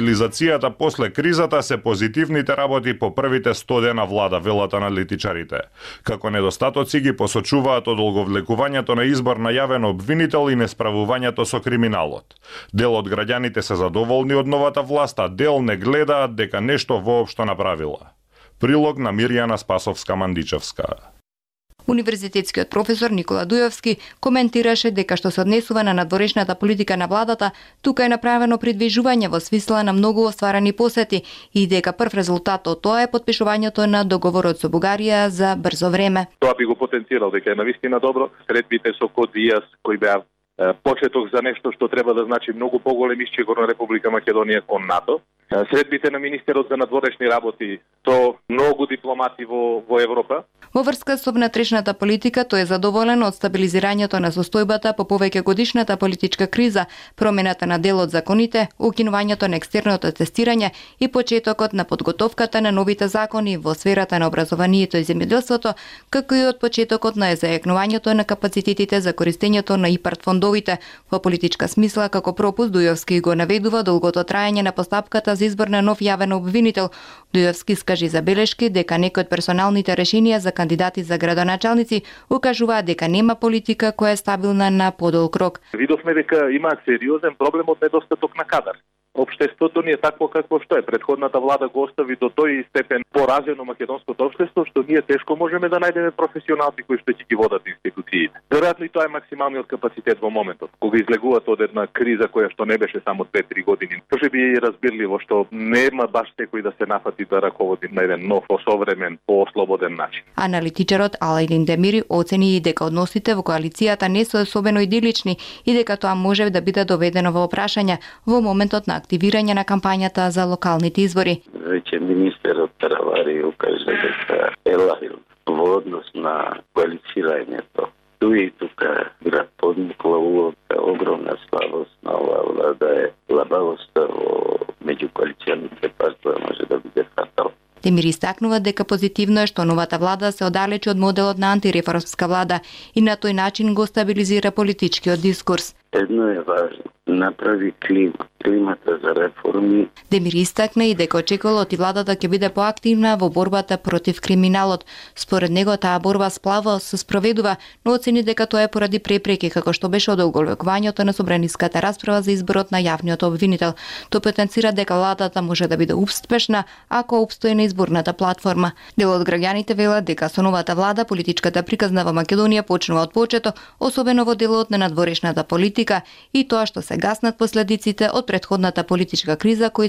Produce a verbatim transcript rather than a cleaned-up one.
Стабилизацијата после кризата се позитивните работи по првите сто дена влада, велат аналитичарите. Како недостатоци ги посочуваат одолговлекувањето на избор на јавен обвинител и несправувањето со криминалот. Дел од граѓаните се задоволни од новата власт, а дел не гледаат дека нешто воопшто направила. Прилог на Мирјана Спасовска-Мандичевска. Универзитетскиот професор Никола Дујовски коментираше дека што се однесува на надворешната политика на владата, тука е направено придвижување во смисла на многу остварени посети и дека прв резултат од тоа е подпишувањето на договорот со Бугарија за брзо време. Тоа би го потенцирал дека е навистина добро. Средбите со Код Диас кои беа почеток за нешто што треба да значи многу поголем исчегор на Република Македонија кон НАТО. Средбите на министерот за надворешни работи со многу дипломати во, во Европа. Во врска со внатрешната политика, тој е задоволен од стабилизирањето на состојбата по повеќе годишната политичка криза, промената на дел од законите, укинувањето на екстерното тестирање и почетокот на подготовката на новите закони во сферата на образованието и земјоделството, како и од почетокот на зајакнувањето на капацитетите за користењето на ИПАРД фондовите. Во политичка смисла, како пропуст, Дујовски го наведува долгото траење на постапката за избор на нов јавен обвинител. Дујовски скажи забелешки дека некои од персоналните решенија за кандидати за градоначалници укажуваат дека нема политика која е стабилна на подолг рок. Видовме дека има сериозен проблем од недостаток на кадар. Општеството ни е такво какво што е. Предходната влада го остави до тој степен поразено македонското општество, што ние тешко можеме да најдеме професионалци кои што ќе ги водат институциите. Веројатно и тоа е максималниот капацитет во моментот. Кога излегуваат од една криза која што не беше само две-три години, може би е разбирливо што нема баш секој да се нафати да раководи на еден нов, осовремен, поослободен начин. Аналитичарот Алајдин Демири оцени и дека односите во коалицијата не се особено идилични и дека тоа може да биде доведено во прашање во моментот на активирање на кампањата за локалните избори. Веќе министерот Таравари укажа дека е лавил во однос на коалицирањето. Туи и тука град подмукла улога, огромна слабост на оваа влада е лабавоста во меѓукоалиционите партии може да биде фатал. Демир истакнува дека позитивно е што новата влада се оддалечи од моделот на антиреформска влада и на тој начин го стабилизира политичкиот дискурс. Едно е важно, направи клима, климата за реформи. Демир истакна и дека очекувал од владата ќе биде поактивна во борбата против криминалот. Според него таа борба сплава се спроведува, но оцени дека тоа е поради препреки како што беше одолговлекувањето на собраниската расправа за изборот на јавниот обвинител. Тој потенцира дека владата може да биде успешна ако опстои на изборната платформа. Дел од граѓаните велат дека со новата влада политичката приказна во Македонија почнува од почеток, особено во делот на надворешната политика и тоа што се гаснат последиците од претходната политичка криза кои се